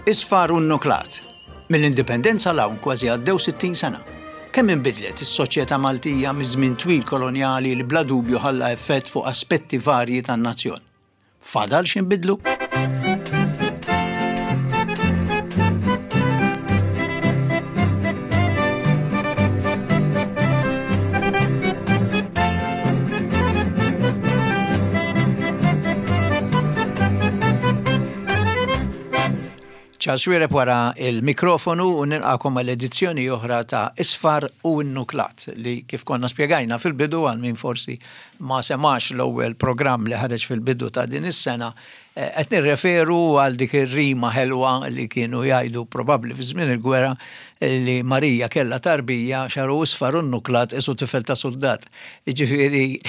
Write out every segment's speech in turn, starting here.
Isfar u nnuklat. Mill-Indipendenza 'l hawn kważi għaddew 60 sena. Kemm inbidlet is-soċjetà Maltija miż-żmien twil kolonjali li bla dubju ħalla effett fuq aspetti varji tan-nazzjon. Fadal x'inbidlu? Charles Xuereb wara il-mikrofonu u nilqakom għal edizzjoni oħra ta' Isfar u Nuklat li kif konna spjegajna fil-bidu għal min forsi ma semax l-ewwel programm li ħareġ fil-bidu ta' din is-sena eh, qed nirreferu għal dik ir-rima ħelwa li kienu jgħidu probabbli fi żmien il-gwerra li Marija kellha tarbija xaru isfar u nuklat isu tifel ta' suldat. Jiġifieri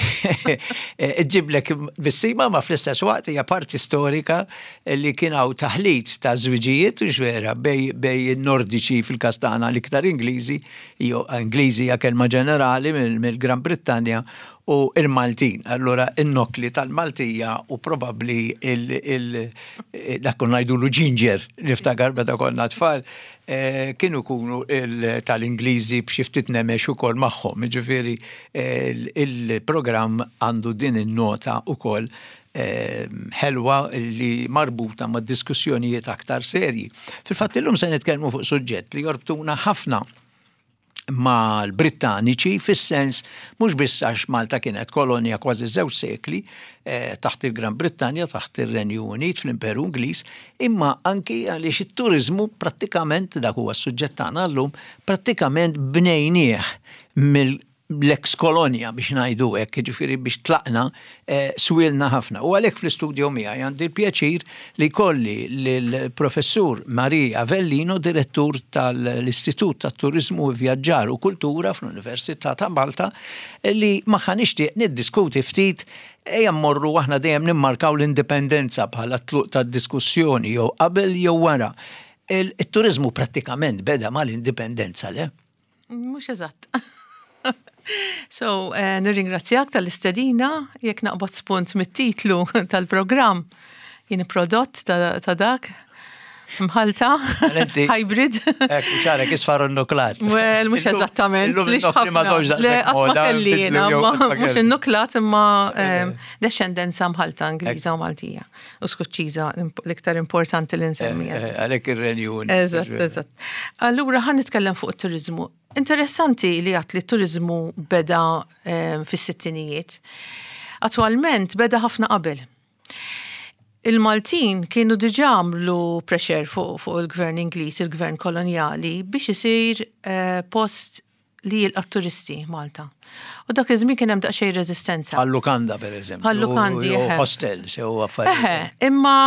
ġġiblek bissima ma fl-istess waqt hija parti storika li kien hawn taħlit ta' żwiġijiet u vera bej bej in-Nordiċi fil-każ tagħna l-iktar Ingliżi, jew Ingliżi hija kelma ġenerali mill-Gran Brittanja u il-Maltin. Allura in-nokli tal-Maltija u probabbli il dak konna ngħidulu ginger niftakar meta konna tfal kienu jkunu tal-Ingliżi b'xi ftit nemex ukoll magħhom. Jiġifieri il-programm għandu din in-nota ukoll ħelwa li marbuta ma' diskussjonijiet aktar serji. Fil-fatt illum se nitkellmu fuq suġġett li jorbtuna ħafna mal-Brittaniċi fis-sens mhux biss għax Malta kienet kolonja kważi żewġ sekli eh, taħt il-Gran Brittanja, taħt ir-Renju Unit fl-Imperu Ingliż, imma anki għaliex it-turiżmu prattikament dak huwa s-suġġett tagħna llum, prattikament bnejnieh mill l-eks kolonja biex ngħidu hekk, jiġifieri biex tlaqna eh, swilna ħafna. U għalhekk fl-istudio miegħi għandi l-pjaċir li jkolli lill-Professur Marie Avellino, direttur tal-Istitut tat-Turiżmu u Vjaġġar u Kultura fl-Università ta' Malta, li magħha nixtieq niddiskuti ftit ejja mmorru aħna dejjem nimmarkaw l-indipendenza bħala tluq tad-diskussjoni jew qabel jew wara. Il-turiżmu prattikament beda mal-indipendenza, le? Mhux eżatt. So, eh, nirringrazzjak tal-istedina, jekk naqbad spunt mit-titlu tal-programm, jien prodott ta' dak, mħalta, hybrid. Ekku, xarek, isfar nuklat. Well, mux eżattament. Le, asma kelli jena, mux il-nuklat imma ehm, descendenza mħalta Ingliża u Maltija. U Skoċċiża l-iktar importanti li nsemmi. Eh, eh, għalhekk ir-Renju Unit. Eżatt, eżatt. Allura ħan nitkellem fuq it-turizmu. Interessanti li għat li t-turizmu beda eh, fis-sittinijiet. Attualment beda ħafna qabel. Il-Maltin kienu diġà għamlu pressure fuq fu il-gvern Ingliż, il-gvern kolonjali, biex isir post li jilqa' turisti Malta. U dak iż-żmien kien hemm daqsxejn reżistenza. Bħal lukanda pereżempju. Bħal lukandi. Hostels jew affarijiet. Imma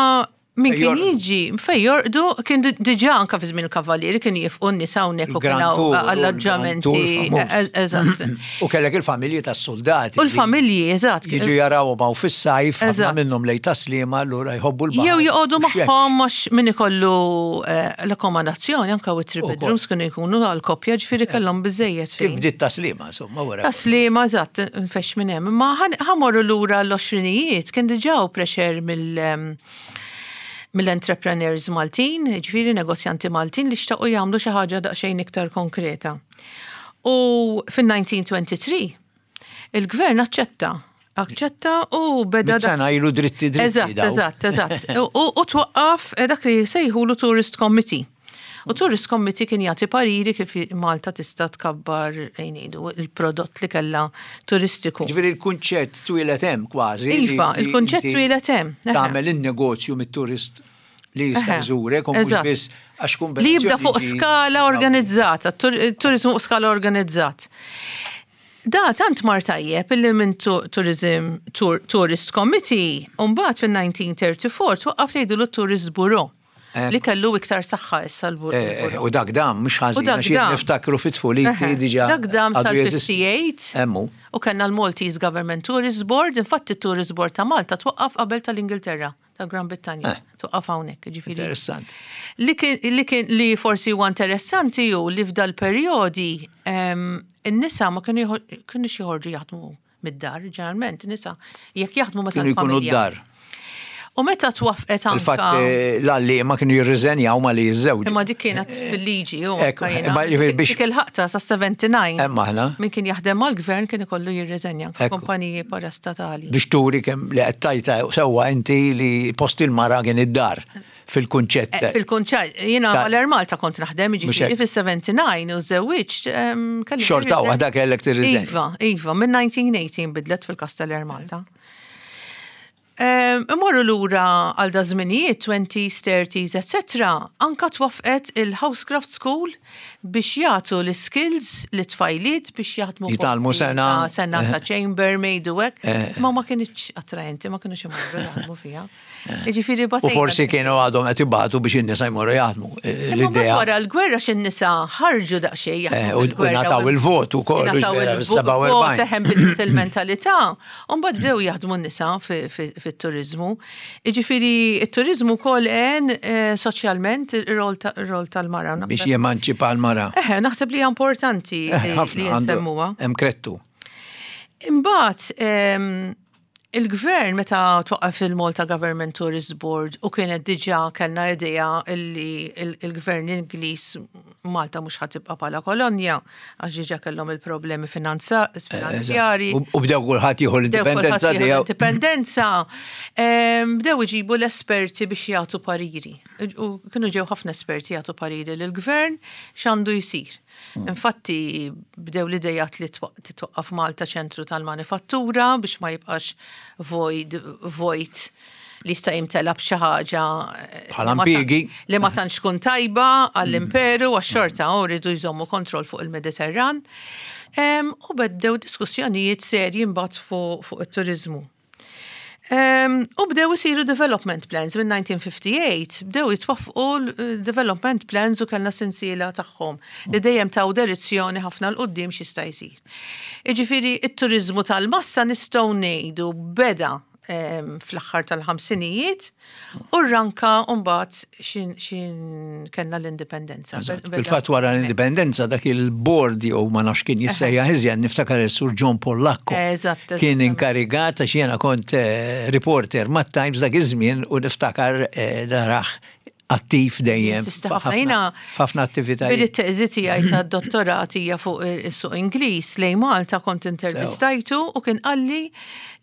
min kien jiġi fej jorqdu kien diġà anka fi żmien il-kavallieri kien jifqu n-nies hawnhekk u kien alloġġamenti. Eżatt. U kellek il-familji tas-soldati. U l-familji, eżatt. Jiġu jaraw ma' fis-sajf, ħafna minnhom lejn taslima allura jħobbu l-baħar. Jew joqogħdu magħhom għax min ikollu eh, l-akkomodazzjoni anka u three bedrooms kienu jkunu għal koppja ġifieri eh. kellhom biżejjed. Kif bdiet taslima insomma wara. Taslima eżatt, nfex minn hemm. Ma ħamorru lura l-għoxrinijiet kien diġà pressure mill ehm, mill-entrepreneurs Maltin, ġifieri negozjanti Maltin li xtaqu jagħmlu xi ħaġa daqsxejn iktar konkreta. U fin-1923 il-gvern aċċetta Aċċetta u beda. Sena ilu dritti dritti. Eżatt, eżatt, eżatt. U twaqqaf eh, dak li sejħulu Tourist Committee. U Tourist Committee kien jagħti pariri kif Malta tista' tkabbar ngħidu il-prodott li kellha turistiku. Ġifieri l-kunċett twieled hemm kważi. Iva, il-kunċett twieled hemm. Tagħmel in-negozju mit-turist li jista' jżurek u mhux biss għax Li jibda fuq skala organizzata, turizmu fuq skala organizzat. Da tant mar tajjeb illi minn Tourism Tourist Committee mbagħad fin-1934 twaqqaf jgħidulu Tourist Bureau li kellu iktar saħħa issa l-bureau. Eh, eh, u dak dam mhux ħażin għax niftakru fit-tfuliti diġà. Dak dam sal-58. Emmu. U kellna l-Maltese Government Tourist Board, infatti t-Tourist Board ta' Malta twaqqaf qabel tal-Ingilterra. ta' Gran Brittanja. Eh. Tuqqaf hawnhekk, ġifieri. Interessant. Li kien li forsi huwa interessanti hu li f'dal perjodi ehm, in-nisa ma kienu kienux joħorġu jaħdmu mid-dar, ġeneralment nisa jekk jaħdmu meta kienu jkunu d-dar. U meta twaffqet anka. Fil-fatt eh, l-għalliema kienu jirriżenjaw ma li jiżżewġu. Imma dik kienet eh, fil-liġi u dik il-ħaqta sa 79. Hemm aħna. Min kien jaħdem mal-gvern kien ikollu jirriżenja kumpaniji parastatali. Biex turi kemm li qed tajta sewwa inti li post il-mara kien id-dar fil-kunċett. Eh, fil-kunċett, jiena mal-Air Malta kont naħdem ġifieri fis-79 u żewwiġt. Xorta waħda kellek tirriżenja. Iva, iva, minn 1918 bidlet fil-kas tal-Air Malta. Imorru lura għal da żminijiet, 20s, 30s, etc. Anka twaffqet il-Housecraft School biex jagħtu l-skills lit-tfajliet biex jaħdmu Jitgħallmu sengħa. Sengħa ta' chambermaid u hekk. Ma ma kinitx attraenti, ma kinux imorru jaħdmu fiha. Jiġifieri U forsi kienu għadhom qed ibatu biex in-nisa jmorru jaħdmu. L-idea. Wara l-gwerra x'in-nisa ħarġu daqsxejn jaħdmu. U ngħataw il-vot ukoll. Ngħataw il-vot, eħe nbidlet il-mentalità. U mbagħad bdew jaħdmu n-nisa fit-turiżmu. Jiġifieri t-turiżmu wkoll għen eh, soċjalment ir-rol tal-mara. Biex jemanċipa l-mara. Eħe, naħseb li hija importanti eh, li nsemmuha. Hemm krettu. Imbagħad ehm, il-gvern meta twaqqaf il-Malta Government Tourist Board u kienet diġà kellna idea li il-gvern Ingliż Malta mhux ħa tibqa' bħala kolonja għax diġà kellhom il-problemi finanzjarji. U bdew kulħadd jieħu l-indipendenza tiegħu. Indipendenza. Bdew iġibu l-esperti biex jagħtu pariri. U kienu ġew ħafna esperti jagħtu pariri lill-gvern x'għandu jsir. Hmm. Infatti bdew l-idejat li titwaqqaf Malta ċentru tal-manifattura biex ma jibqax void vojt li jista' jimtela b'xi ħaġa eh, bħala impjiegi li ma tantx tkun tajba għall-imperu għax xorta u rridu jżommu kontroll fuq il-Mediterran. U bdew diskussjonijiet serji mbagħad fuq it-turiżmu. U bdew isiru development plans minn 1958, bdew jitwaffqu development plans u kellna sensiela tagħhom li dejjem taw direzzjoni ħafna 'l quddiem x'jista' jsir. Jiġifieri t-turiżmu tal-massa nistgħu ngħidu beda fl-aħħar tal-ħamsinijiet u rranka mbagħad xin kellna l-indipendenza. Fil-fatt wara l-indipendenza dak il-board jew ma nafx kien jissejjaħ iżjed niftakar is-Sur John Pollacco. Eżatt. Kien inkarigat għax jiena kont eh, reporter mat-Times dak iż-żmien u niftakar eh, naraħ attiv dejjem. F'ħafna attivitajiet. Billi t-teżi tiegħi tad-dottorat hija fuq is-suq Ingliż lejn Malta kont intervistajtu u kien qalli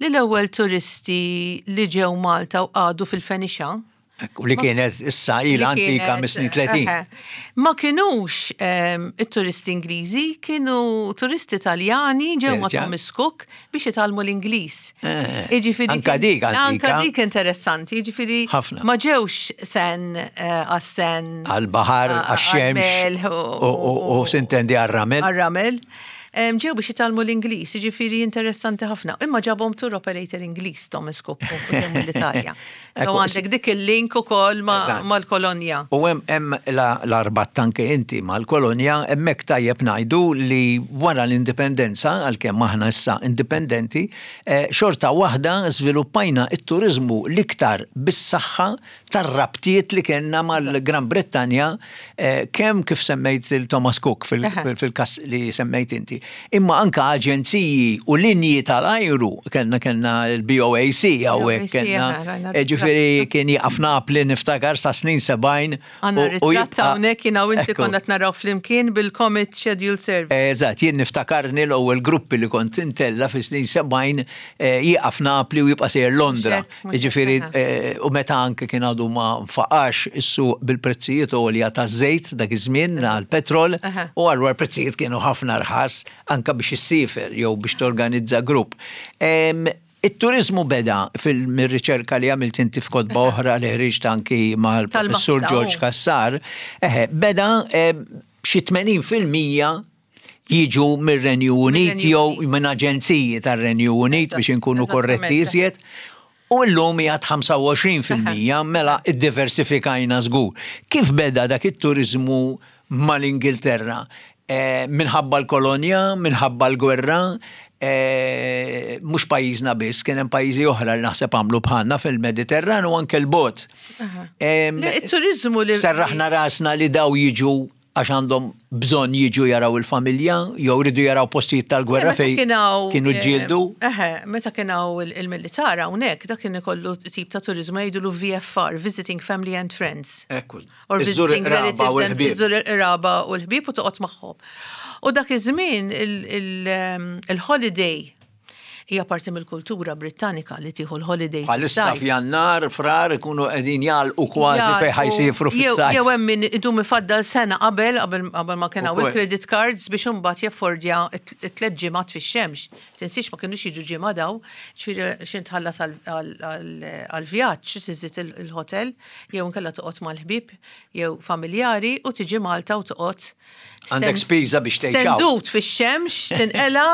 li l-ewwel turisti li ġew Malta u qagħdu fil-Fenixa U li kienet issa ilha antika mis-snin 30. Ma kinux ehm, it-turisti Ingliżi, kienu turisti Taljani ġew ma' Thomas Cook biex jitgħallmu l-Ingliż. Eh, jiġifieri anka dik antika. Anka dik interessanti, jiġifieri ma ġewx sen eh, għas-sen. Għal-baħar, għax-xemx u sintendi għar-ramel. Għar-ramel. Ġew biex jitgħallmu l-Ingliż, jiġifieri interessanti ħafna. Imma ġabhom tour operator Ingliż Thomas Cook mill-Italja. So għandek dik il-link ukoll mal-kolonja. U hemm l-arbat anke inti mal-kolonja, hemmhekk tajjeb ngħidu li wara l-indipendenza, għalkemm aħna issa indipendenti, eh, xorta waħda żviluppajna t-turiżmu l-iktar bis-saħħa tar-rabtiet li kellna mal-Gran Brittanja eh, kemm kif semmejt il-Thomas Cook fil-kas li semmejt inti, imma anka aġenziji u linji tal-ajru kellna kellna l-BOAC hawnhekk kellna eh, ġifieri kien jieqaf Napli niftakar sa snin 70 Għandna ritratt hawnhekk jiena u inti konna qed naraw flimkien bil-Comet Schedule Service. Eżatt, jien niftakarni l-ewwel gruppi li kont intella fi snin 70 eh, jieqaf Napli u jibqa' sejjer Londra. Jiġifieri u meta anke kien għadu ma nfaqax is-suq bil-prezzijiet għolja taż-żejt dak iż-żmien għall-petrol u allura l-prezzijiet kienu ħafna rħas anke biex issiefer jew biex torganizza grupp. It-turiżmu beda fil-riċerka li għamilt inti f'kotba oħra li ħriġt anki mal-Professur George Cassar, eħe, beda xi 80% jiġu mir-Renju Unit jew minn aġenziji tar-Renju Unit biex inkunu korretti iżjed. U llum hija 25% mela iddiversifikajna żgur. Kif beda dak it-turiżmu mal-Ingilterra? Eh, minħabba l-kolonja, minħabba l-gwerra, eh, mhux pajjiżna biss, kien hemm pajjiżi oħra li naħseb għamlu bħalna fil-Mediterran u anke l-bot. Il-turizmu li. Serraħna rasna li daw jiġu. Għax għandhom bżonn jiġu jaraw il-familja, jew ridu jaraw postijiet tal-gwerra fejn kienu ġġieldu. Eħe, meta kien hawn il-militar hawnhekk, dak kien ikollu tip ta' turiżmu jgħidulu VFR, Visiting Family and Friends. Ekku. Or Iżżur visiting il-qraba u relatives and l-ħbieb. iżżur il-qraba u l-ħbieb u toqgħod magħhom. U dak iż-żmien il-holiday hija parti mill-kultura Brittanika li tieħu l-holiday. Bħalissa fis-sajf. f'Jannar, Frar ikunu qegħdin jagħlqu kważi fejn ħa jsifru fis-sajf. Jew hemm min idum ifaddal sena qabel qabel qabel ma kien hawn Ukoll. il-credit cards biex imbagħad jaffordja it-tliet ġimgħat fix-xemx. Tinsiex ma kinux jiġu ġimgħa daw, ġifieri x'int tħallas għall-vjaġġ, tiżid il-hotel, jew inkella toqgħod mal-ħbieb jew familjari u tiġi Malta u toqgħod Għandek spiża biex tgħix hawn. Stendut fix-xemx, tinqela.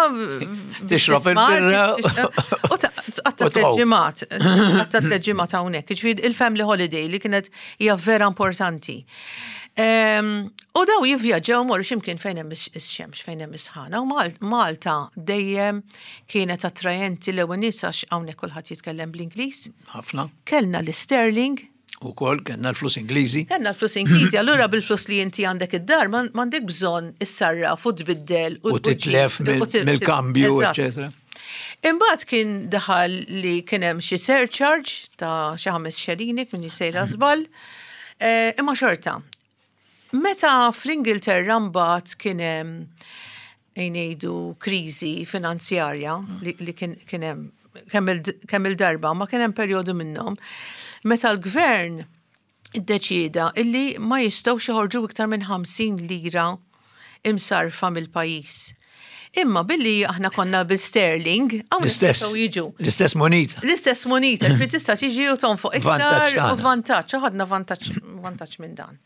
Tixrob il-birra. U tqatta' U tliet tqum. ġimgħat, tqatta' tliet ġimgħat hawnhekk. Jiġifieri il-family holiday li kienet hija vera importanti. U daw jivvjaġġaw morru x'imkien fejn hemm ix-xemx, fejn hemm is-sħana. U Malta dejjem kienet attrajenti l-ewwel nies għax hawnhekk kulħadd jitkellem bl-Ingliż. Ħafna. Kellna l-sterling. U kol, kellna l-flus Ingliżi. Kellna l-flus Ingliżi, allura bil-flus li inti għandek id-dar, m'għandek bżonn issarraf u tbiddel. U titlef mill-kambju, eccetera. Imbagħad kien daħal li kien hemm xi surcharge ta' xi 5 xelini minn sejra żball. Imma xorta. Meta fl-Ingilterra mbagħad kien hemm ngħidu kriżi finanzjarja li kien hemm kemm il-darba, ma kien hemm perjodu minnhom, meta l-gvern iddeċieda illi ma jistgħux joħorġu iktar minn 50 lira imsarfa mill-pajjiż. Imma billi aħna konna bil-sterling, hawn L-istess. jistgħu jiġu. L-istess moneta. L-istess moneta, ġifieri tista' tiġi u tonfoq iktar Vantaġġ u tagħna. vantaġġ, u ħadna vantaġġ minn dan.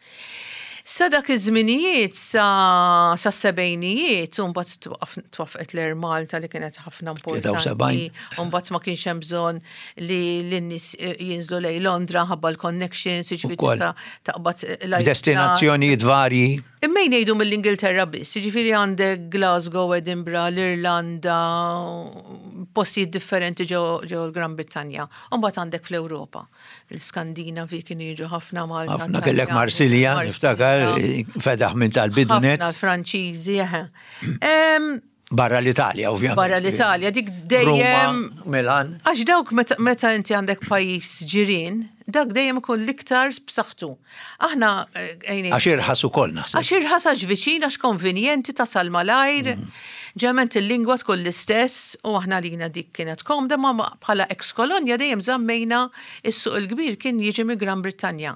Sa dak iż-żminijiet, sa sebgħinijiet, u mbagħad twaqqfet l-Air Malta li kienet ħafna importanti. 73. U mbagħad ma kienx hemm bżonn li l-nies jinżlu lejn Londra ħabba l-connections, jiġifieri Ukoll. tista' taqbad l-ajruplan. Destinazzjonijiet varji. Imma jgħidu mill-Ingilterra biss, jiġifieri għandek Glasgow, Edinburgh, l-Irlanda, postijiet differenti ġew l-Gran Brittanja. U mbagħad għandek fl-Ewropa. L-Skandinavi kienu jiġu ħafna Malta. Ħafna kellek Taljani, Marsilja, Marsilja. niftakar, fedaħ minn tal-bidunet. Ħafna Franċiżi, eħe. Barra l-Italja, ovvjament. Barra l-Italja, dik dejjem. Ruma, Milan. Għax dawk meta inti għandek pajjiż ġirien, dak dejjem ikun l-iktar b'saħħtu. Aħna għajni. Għax irħas ukoll naħseb. Għax irħas għax viċin, għax konvenjenti tasal malajr, ġement il-lingwa tkun l-istess u aħna lina dik kienet komda, ma bħala ex-kolonja dejjem żammejna is-suq il-kbir kien jiġi mi Gran Brittanja.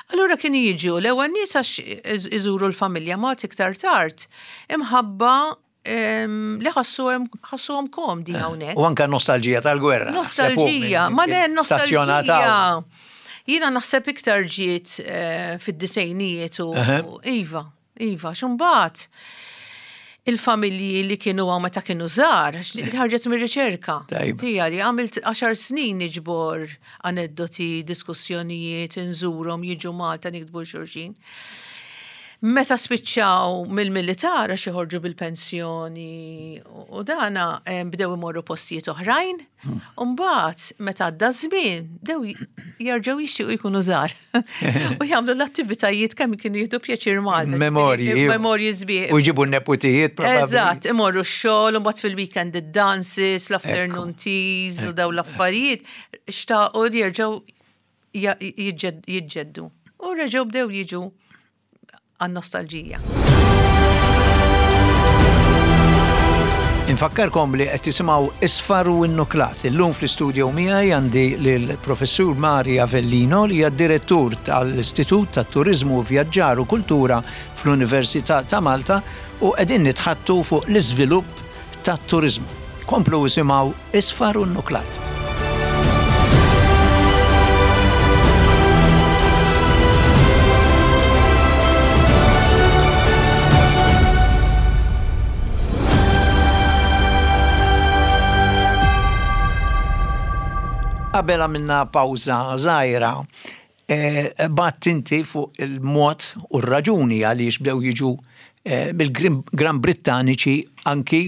Allura kien jiġu l-ewwel nies għax iżuru l-familja ma iktar tard imħabba li ħassuhom komdi hawnhekk. U anka nostalġija tal-gwerra. Nostalġija, ma le Stazzjonata. nostalġija. Jiena naħseb iktar ġiet fid-disejnijiet u iva, iva, xumbat il-familji li kienu għaw meta kienu żgħar, għax li ħarġet mir-riċerka. Tajba. Tija li għamilt 10 snin niġbor aneddoti, diskussjonijiet, inżurhom, jiġu Malta nikdbu xulxin. Meta spiċċaw mill-militar għax joħorġu bil-pensjoni u dana bdew imorru postijiet oħrajn, u mbagħad meta għadda żmien bdew jerġgħu jixtiequ jkunu żgħar. U jagħmlu l-attivitajiet kemm kienu jieħdu pjaċir Malta. Memorji. Memorji sbieħ. U jġibu n-neputijiet, probabbli. Eżatt, imorru x-xogħol, u mbagħad fil-weekend id-dances, l-afternoon teas u daw l-affarijiet, xtaqu li jerġgħu jiġġeddu. U reġgħu bdew jiġu għan-nostalġija. Infakkarkom li qed tisimgħu Isfar u Innuklat. Illum fl-istudio miegħi għandi lill-Professur Mari Avellino li hija direttur tal-Istitut tat-Turiżmu, Vjaġġar u Kultura fl-Università ta' Malta u qegħdin nitħattu fuq l-iżvilupp tat-turiżmu. Komplu isimgħu Isfar u Innuklat. Qabel għamilna pawża żgħira, bat inti fuq il-mod u r-raġuni għaliex bdew jiġu mill-Gran Brittaniċi anki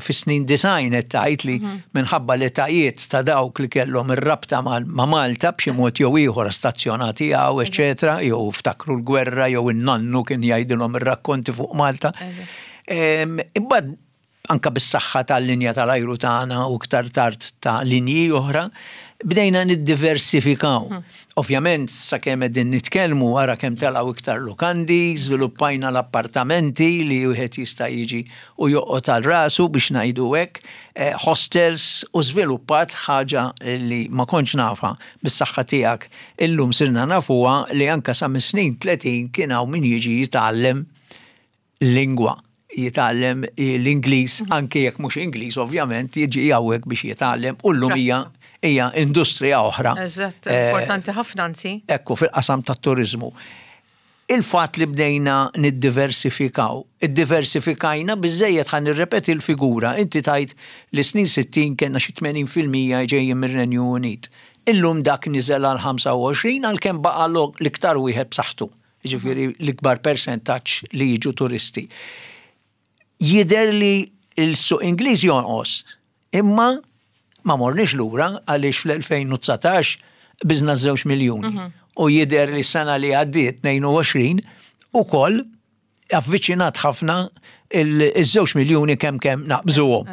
fis-snin 90 qed tgħid li minħabba l-etajiet ta' dawk li kellhom ir-rabta ma' Malta b'xi mod jew ieħor stazzjonati hawn, eċetera, jew ftakru l-gwerra jew in-nannu kien jgħidilhom ir-rakkonti fuq Malta. Imbagħad anka bis-saħħa tal-linja tal-ajru tagħna u iktar tard ta' linji oħra, bdejna niddiversifikaw. Ovvjament, sakemm qegħdin nitkellmu ara kemm telgħu iktar lukandi, żviluppajna l-appartamenti li wieħed jista' jiġi u joqgħod għal rasu biex ngħidu hekk, hostels u żviluppat ħaġa li ma kontx nafha bis-saħħa tiegħek illum sirna nafuha li anka sa mis-snin 30 kien hawn min jiġi jitgħallem lingwa, jitgħallem l-Ingliż, anke jekk mhux Ingliż ovvjament, jiġi hawnhekk biex jitgħallem u llum hija hija industrija oħra. Eżatt, importanti ħafna anzi. Ekku, fil-qasam tat-turiżmu. Il-fatt li bdejna niddiversifikaw, iddiversifikajna biżejjed ħa nirrepeti l-figura, inti tajt li snin 60 kellna xi 80% ġejjin mir-Renju Unit. Illum dak niżel għal 25 għalkemm baqa' l-iktar wieħed b'saħħtu. Ġifieri l-ikbar percentaġġ li jiġu turisti. Jidher li l-suq Ingliż jonqos, imma ma morniex lura għaliex fl-2019 biżna 2 miljuni. U jidher li s-sena li għaddiet 22 ukoll avviċinat ħafna iż-2 miljuni kemm kemm naqbżuhom.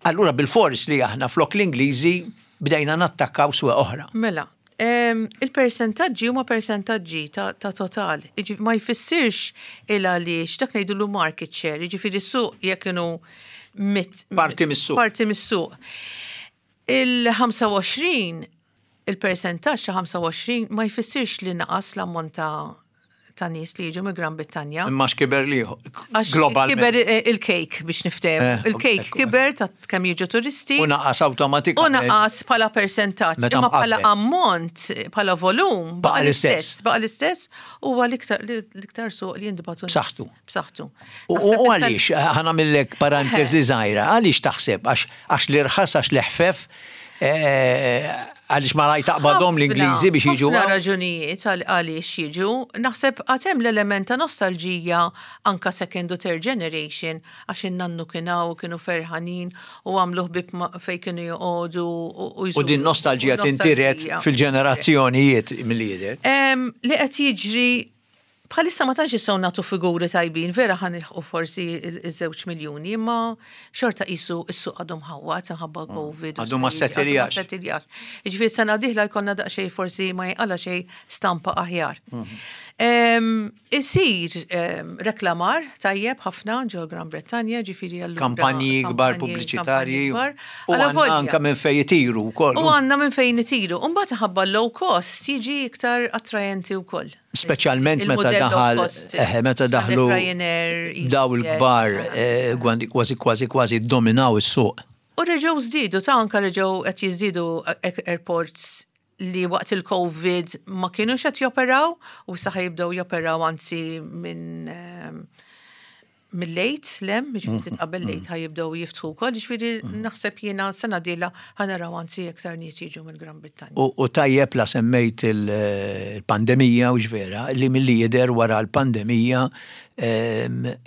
Allura bil-fors li aħna flok l-Ingliżi bdejna nattakkaw swieq oħra. Mela, il-persentaġġi huma persentaġġi ta' total. Ma jfissirx il għaliex dak ngħidulu market share, jiġifieri suq jekk inhu mit. Parti mis-suq. Parti mis-suq. Il-25, il-persentaġġ ta' 25 ma jfissirx li naqas l-ammont ta' nies li jiġu mill Gran Brittanja. Imma x'kiber li Għax globalment. Kiber il-cake biex niftehmu. Il-cake kiber ta' kemm jiġu turisti. U naqas awtomatikament. U naqas bħala persentaġġ. Meta Imma bħala mqabbel. ammont, bħala volum, Baqa' l-istess. Baqa' l-istess huwa l-iktar suq li jintbagħtu nies. B'saħħtu. B'saħħtu. U Naħseb issa għaliex, ħa nagħmillek parentesi żgħira, għaliex taħseb? Għax l-irħas, għax l-eħfef, għaliex malaj taqbadhom l-Ingliżi biex jiġu Ħafna hawn? raġunijiet għaliex jiġu. Naħseb għad hemm l-element ta' nostalġija anka second u third generation għax in-nannu kien hawn, kienu ferħanin u għamlu ħbieb fejn kienu joqogħdu u U din nostalġija u tintiret nostalġija. fil-ġenerazzjonijiet mill-lider. Li qed jiġri bħalissa ma tantx jistgħu nagħtu figuri tajbin, vera ħa nilħqu forsi iż-2 miljuni, imma xorta qisu s-suq għadu mħawwad minħabba Covid u Għadu ma affarijiet, għadu ma settiljax. settiljax. Jiġifieri sena dieħla jkollna daqsxejn forsi ma jinqala xejn stampa aħjar. Isir reklamar tajjeb ħafna ġo Gran Brittanja, ġifieri allura Kampanji kbar kampanji, pubbliċitarji. kampanji kbar. U Alla għandna volja. anka minn fejn jitiru wkoll. U għandna minn fejn nitiru. U mbagħad ħabba low cost jiġi iktar attrajenti wkoll. Speċjalment meta Il-modell low daħal, cost, meta daħlu Ryanair, daw EasyJet. il-kbar, kważi, kważi, kważi dominaw is-suq. U reġgħu żdiedu, ta' anka reġgħu qed jiżdiedu airports li waqt il-Covid ma kienux qed joperaw u issa jibdew joperaw anzi minn mill-lejt lem, jiġifieri ftit qabel lejt ħa jibdew jiftħu wkoll, jiġifieri naħseb jiena sena dieħla ħa naraw anzi iktar nies jiġu mill-Gran Brittanja. U tajjeb la semmejt il-pandemija u ġvera, li milli jidher wara l-pandemija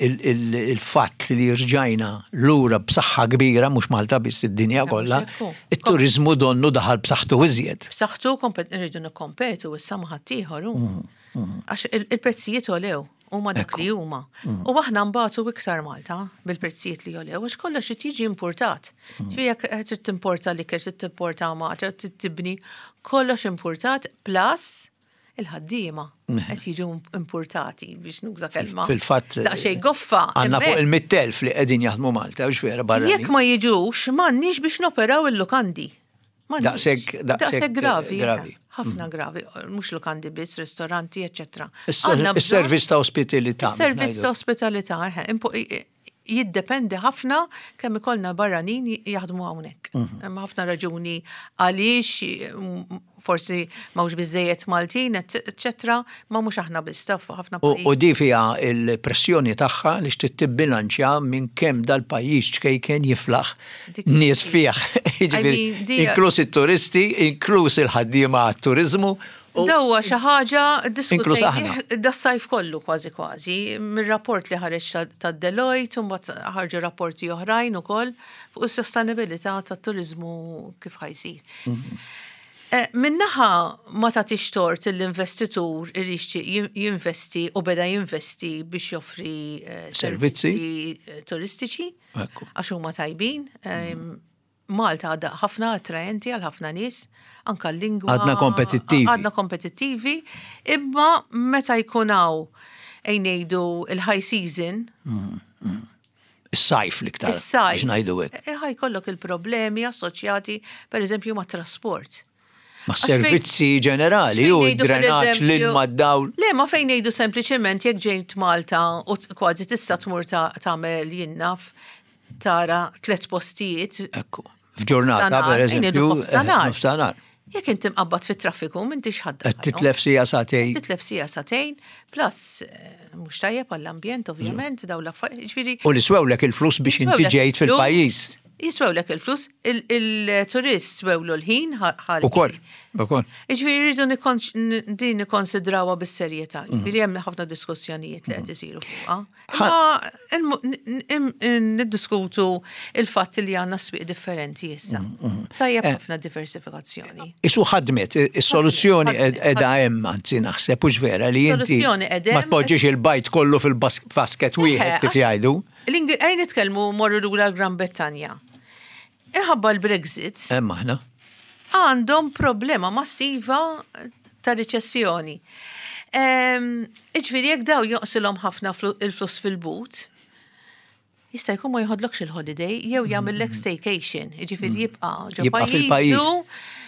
il-fatt li rġajna lura b'saħħa kbira, mhux Malta biss id-dinja kollha, ekku. it-turizmu donnu daħal b'saħħtu iżjed. B'saħħtu nridu nikkompetu issa ma' ħaddieħor hu. Għax il-prezzijiet għolew. Huma dak li huma. U aħna nbatu iktar Malta bil-prezzijiet li għolew, għax kollox irid jiġi importat. Ġifieri jekk trid timporta l-ikel, trid timporta ma, trid tibni, kollox importat plus il-ħaddiema qed jiġu importati biex nuża kelma. Fil-fatt, Daqsxejn goffa. Għandna fuq hemmhekk. il-100,000 li qegħdin jaħdmu Malta, u vera barra. Jekk ma jiġux, m'għandniex biex noperaw il-lukandi. M'għandniex. Daqshekk Daqshekk gravi. gravi. Ħafna gravi, mhux lukandi biss, ristoranti, eċċetera. Għandna bżonn- Is-servizz ta' ospitalità. Is-servizz ta' ospitalità, eħe, jiddependi ħafna kemm ikollna barranin jaħdmu hawnhekk. Hemm ħafna raġuni għaliex forsi m'hawnx biżejjed Maltin, eċċetera, ma mhux aħna biss taf ħafna U pajjiż. di fiha il-pressjoni tagħha li xtrid tibbilanċja minn kemm dal-pajjiż ċkejken jiflaħ Dik nies fih. I Jiġifieri, mean, inkluż it-turisti, inkluż il-ħaddiema għat-turiżmu Dawa xi ħaġa Inkluż aħna. diskutejnieh das-sajf kollu kważi kważi, mir-rapport li ħareġ ta' Deloitte u mbagħad ħarġu rapporti oħrajn ukoll fuq is-sostenibilità tat-turiżmu kif ħa jsir. Min-naħa ma tagħtix tort l-investitur li jixtieq jinvesti u beda jinvesti biex joffri Servizzi. servizzi turistiċi għax huma tajbin. Malta għadha ħafna attraenti għal ħafna nies, anka l-lingwa. Għadna kompetittivi. Għadna kompetittivi, imma meta jkun hawn ejn ngħidu il-high season, Is-sajf l-iktar. is-sajf. Biex ngħidu hekk. Ħa jkollok il-problemi assoċjati, per eżempju, ma' trasport. Ma' Għax fejn- servizzi ġenerali, fejn u ngħidu, per drenaġġ, eżempju- l-ilma d-dawl. Le, ma fejn ngħidu sempliċement jekk ġejt Malta u kważi tista' tmur tagħmel jien naf tara tliet postijiet. Ekku. F'ġurnata, Nofstanhar, per ejn ngħidu eżempju, nofstanhar. nofstanhar. Jekk inti mqabbad fit-traffiku m'intix ħadda. Qed titlef sija sagħtejn. Titlef sija sagħtejn, plus mhux tajjeb għall-ambjent ovvjament dawn l-affarijiet. Ġifieri U li swewlek il-flus biex inti jiswewlek ġejt il-flus, fil-pajjiż. Jiswewlek il-flus, il-turist swewlu l-ħin ħal. Ukoll, ukoll. Ġifieri rridu din nikkonsidrawha bis-serjetà. Ġifieri hemm ħafna diskussjonijiet li qed isiru fuqha. Imma niddiskutu il-fatt li għandna swieq differenti issa. Tajjeb ħafna diversifikazzjoni. Isu ħadmet, is-soluzzjoni Ħadmet, edha hemm, anzi naħseb hux vera li inti Soluzzjoni qed ma hemm. tpoġġix il-bajt kollu fil-basket wieħed kif Għax jgħidu. Ejn nitkellmu morru lura l-Gran Brettanja. Iħabba l-Brexit Hemm aħna. għandhom problema massiva ta' riċessjoni. Iġifieri jekk daw jonqsilhom ħafna il-flus fil-but, jista' jkun ma jħodlokx il-holiday jew jagħmellek staycation, jiġifieri jibqa' ġo Jibqa' fil-pajjiż. pajjiżu.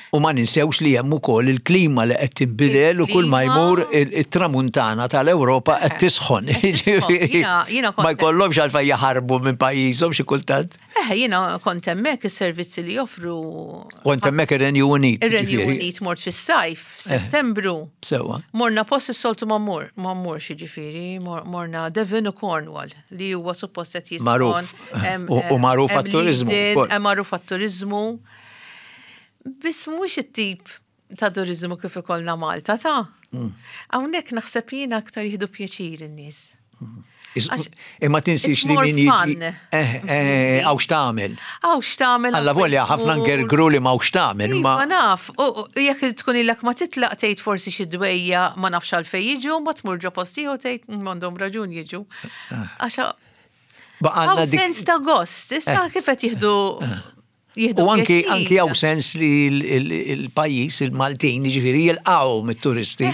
U ma ninsewx li hemm ukoll il-klima li qed tinbidel u kull ma Il-klima. jmur it-tramuntana tal-Ewropa qed tisħon. Qed tisħon. Jiġifieri, Jiena Ma jkollhomx għalfejn jaħarbu minn pajjiżhom xi kultant. Jiena kont hemmhekk is-servizzi li joffru. U int hemmhekk ir-Renju Unit. Ir-Renju jiġifieri. Unit mort fis-sajf, f'Settembru. Sewwa. Morna post is-soltu ma mmur, ma mmurx jiġifieri, morna Devon u Cornwall li huwa suppost qed jisħon. Magħruf. U magħruf għat-turiżmu wkoll. Magħruf għat-turiżmu. Biss mhuwiex it-tip ta' turiżmu kif ikollna Malta ta'. Hawnhekk naħseb jiena aktar jieħdu pjaċir in-nies. Imma tinsix it's li more min jiġi. fun. Għaw x'tagħmel. Għaw x'tagħmel. Alla volja ħafna ngergru li ma x'tagħmel Ma ma naf, u jekk tkun ilek ma titlaq tgħid forsi xi dwejja ma nafx għalfejn jiġu, ma tmur ġo post ieħor tgħid m'għandhom raġun jiġu. Għax baqgħalna hawn dik. sens ta' gost, issa kif qed jieħdu jieħdu U anki pjaċir. anki hawn sens li l-pajjiż il-Maltin jiġifieri jilqgħu mit-turisti,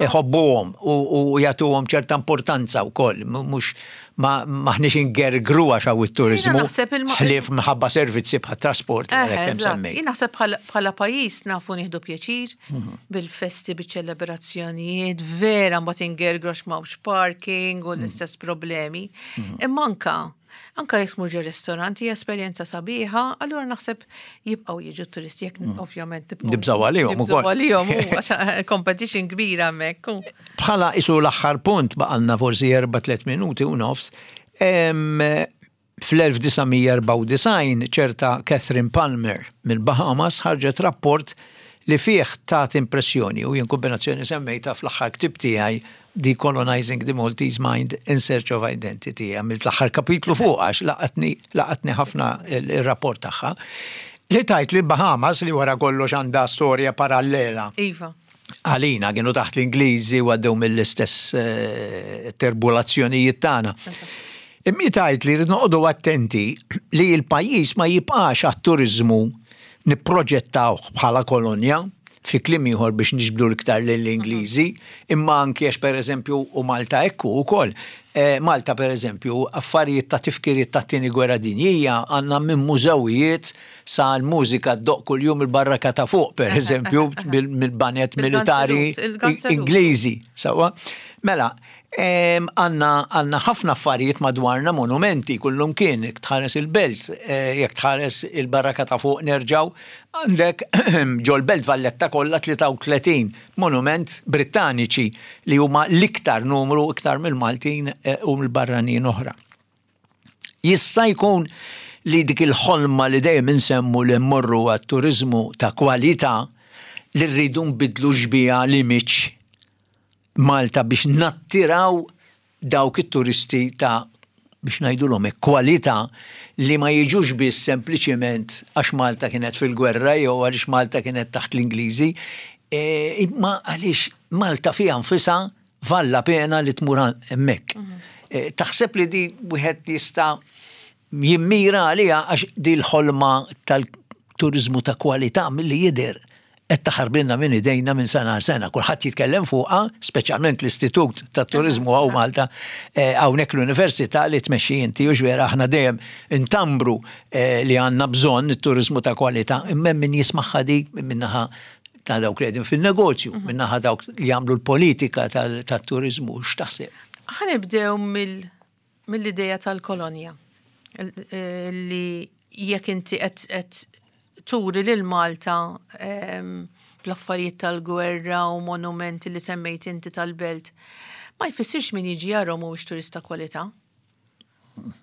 iħobbuhom u jagħtuhom ċerta importanza wkoll, mhux maħniex ingergru għax hawn it-turiżmu. Jiena naħseb Ħlief minħabba servizzi bħat trasport li għalhekk hemm semmejt. Jien naħseb bħala pajjiż nafu nieħdu pjaċir bil-festi, biċ-ċelebrazzjonijiet, vera mbagħad ingergru għax m'hawnx parking u l-istess problemi. Imma anka jekk tmur ġo ristorant hija esperjenza sabiħa, allura naħseb jibqgħu jiġu turisti jekk ovvjament tibqgħu. Nibżgħu għalihom Nibżgħu ukoll. għalihom, u għax competition kbira hemmhekk. Bħala isu l-aħħar punt baqalna forsi 4-3 minuti u nofs. Fl-1994 ċerta Catherine Palmer mill-Bahamas ħarġet rapport li fih tat impressjoni u jien kombinazzjoni semmejta fl-aħħar ktib tiegħi Decolonizing the Maltese Mind in Search of Identity. Għamilt l-aħħar kapitlu fuq għax laqatni ħafna il-rapport tagħha. Li tajt li Bahamas li wara kollox għandha storja parallela. Għalina kienu taħt l-Ingliżi u għaddew mill-istess turbulazzjonijiet tagħna. Imma tajt li rrid noqogħdu attenti li l-pajjiż ma jibqax għat-turiżmu nipproġettawh bħala kolonja fi kliem ieħor biex niġbdu l-iktar lill-Ingliżi, imma anki għax pereżempju u Malta ekku wkoll. Malta pereżempju affarijiet ta' tifkiriet ta' tieni gwerra dinjija għandna minn mużewijiet sa l-mużika ddoq kuljum il-barraka ta' fuq pereżempju mill-banet militari Ingliżi. Sewwa? Mela, għandna ħafna affarijiet madwarna monumenti kullum kien, jekk tħares il-belt, jekk tħares il-barraka ta' fuq nerġaw, għandek ġol-belt Valletta kollha 33 monument Brittaniċi li huma l-iktar numru iktar mill-Maltin u mill-barranin oħra. Jista' jkun li dik il-ħolma li dejjem insemmu li mmorru għat-turiżmu ta' kwalità. li rridu nbiddlu xbieha l-image Malta biex nattiraw dawk it-turisti ta' biex ngħidulhom hekk kwalità li ma jiġux biss sempliċiment għax Malta kienet fil-gwerra jew għaliex Malta kienet taħt l-Ingliżi, imma għaliex Malta fiha nfisha valla pena li tmur hemmhekk. Taħseb li di wieħed jista' jimmira għaliha għax di l-ħolma tal-turiżmu ta' kwalità milli jidher qed taħarbilna minn idejna minn sena għal sena. Kulħadd jitkellem fuqha, speċjalment l-Istitut tat-Turiżmu hawn Malta, hawnhekk l-Università li tmexxi inti u vera aħna dejjem intambru li għandna bżonn it-turiżmu ta' kwalità, imma hemm min jismagħha di min-naħa ta' dawk li qegħdin fin-negozju, mhm. min-naħa dawk li jagħmlu l-politika tat-turiżmu, x'taħseb? Ħa nibdew mill-ideja tal-kolonja li jekk inti qed turi lil Malta ehm, bl-affarijiet tal-gwerra u monumenti li semmejt inti tal-belt, ma jfissirx min jiġi jarhom mhuwiex turista kwalità.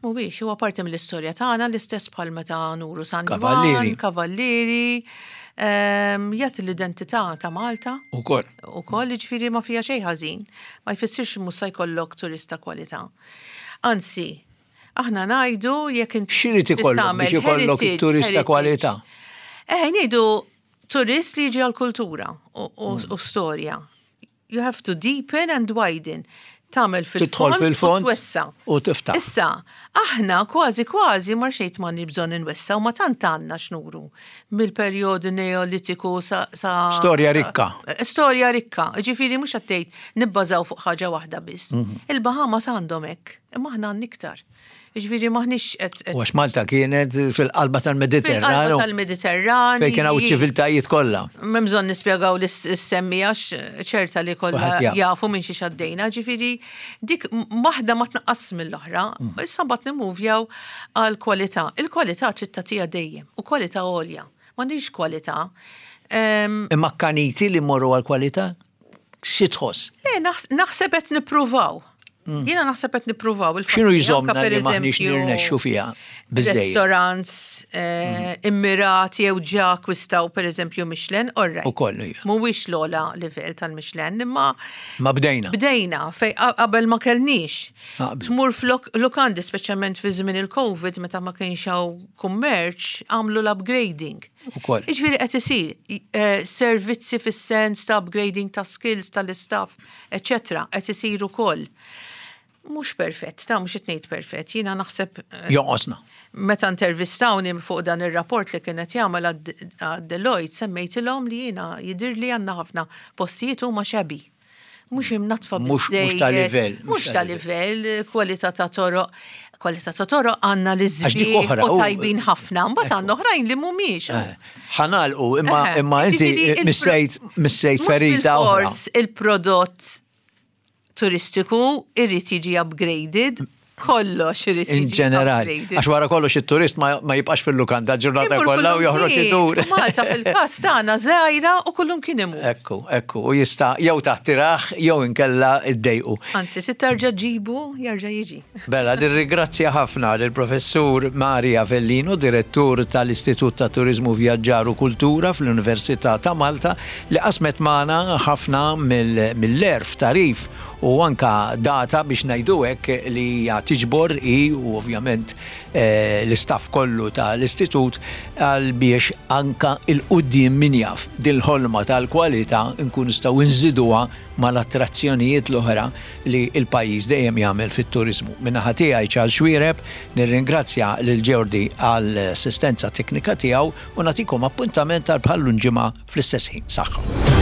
Mhuwiex, huwa parti mill-istorja tagħna l-istess bħal meta nuru San Ġwann, Kavallieri, ehm, jagħti l-identità ta' Malta. Ukoll. Ukoll, jiġifieri ma fiha xejn ħażin. Ma jfissirx mhux se jkollok turist ta' kwalità. Anzi, aħna ngħidu jekk inti. X'irid ikollok biex ikollok it-turist ta' kwalità? Eh, ngħidu turist li jiġi għall-kultura u mm. storja. You have to deepen and widen. Tagħmel fil-fond fil-fond u twessa. U tiftaħ. Issa, aħna kważi kważi mar xejn ma bżonn inwessa u ma tant għandna x'nuru mill-perjodu Neolitiku sa. Storja rikka. Storja rikka. Ġifieri mhux qed tgħid nibbażaw fuq ħaġa waħda biss. Mhm. Il-Bahamas għandhom hekk, imma aħna għandna iktar. Ġifieri maħniex qed. U għax Malta kienet fil-qalba tal-Mediterran. Fil-qalba tal-Mediterran. Fejn kien hawn ċiviltajiet kollha. M'hemm bżonn nispjegaw lis-semmi għax ċerta li kollha jafu minn xi xaddejna. Ġifieri dik waħda ma tnaqqas mill-oħra. Mm. Issa mbagħad nimmuvjaw għal kwalità. Il-kwalità trid tagħtiha dejjem u kwalità għolja. M'għandix kwalità. Imma kaniti li morru għal kwalità? Xi tħoss? Le, naħseb qed nippruvaw. Mm. Jiena naħseb qed nippruvaw il X'inhu jżommna li m'aħniex nirnexxu fiha biżejjed? Restaurants eh, mm. immirati jew ġa akkwistaw pereżempju Michelin, all right. Ukoll hija. Mhuwiex l-ogħla livell tal-Michelin, imma Ma bdejna. Bdejna fej qabel ma kellniex. Tmur f'lukandi speċjalment fi żmien il-Covid meta ma kienx hawn kummerċ għamlu l-upgrading. Ukoll. Jiġifieri qed isir eh, servizzi fis-sens ta' upgrading ta' skills tal-istaff, eċetera, qed isir ukoll. Mhux perfett, ta' mhux qed ngħid perfett, jiena naħseb. Eh, Jonqosna. Meta intervistawni fuq dan ir-rapport li kienet jagħmel għad Deloitte semmejtilhom li jiena jidhirli għandna ħafna postijiet huma xabi mhux imnatfa Mhux ta' livell. Mhux ta' livell, kwalità ta' toroq. Kwalità ta' toroq għandna li żbieħ u tajbin ħafna, mbagħad għandna oħrajn li mhumiex. Eh, ħanalqu, imma eh, imma inti missejt missejt ferita oħra. Il-prodott turistiku irrid jiġi upgraded kollox irid In ġenerali. Għax wara kollox it-turist ma jibqax fil-lukanda ġurnata kollha u joħroġ idur. Malta fil-każ tagħna żgħira u kullum kien imur. Ekku, ekku, u jista' jew taħtiraħ jew inkella iddejqu. Anzi, se terġa' ġibu jerġa' jiġi. Bella, nirringrazzja ħafna lill-Professur Maria Vellino, Direttur tal-Istitut ta' Turiżmu Vjaġġar u Kultura fl-Università ta' Malta, li qasmet magħna ħafna mill-għerf, tagħrif u anka data biex ngħidu hekk li hija tiġbor hi u ovvjament eh, l-istaff kollu tal-istitut għal biex anka il-quddiem min jaf dil-ħolma tal-kwalità nkun nistgħu nżiduha mal-attrazzjonijiet l-oħra li l-pajjiż dejjem jagħmel fit-turiżmu. Min-naħa tiegħi Charles Xuereb nirringrazzja lil Jordi għall-assistenza teknika tiegħu u nagħtikom appuntament għal bħal ġimgħa fl-istess ħin. Saħħa.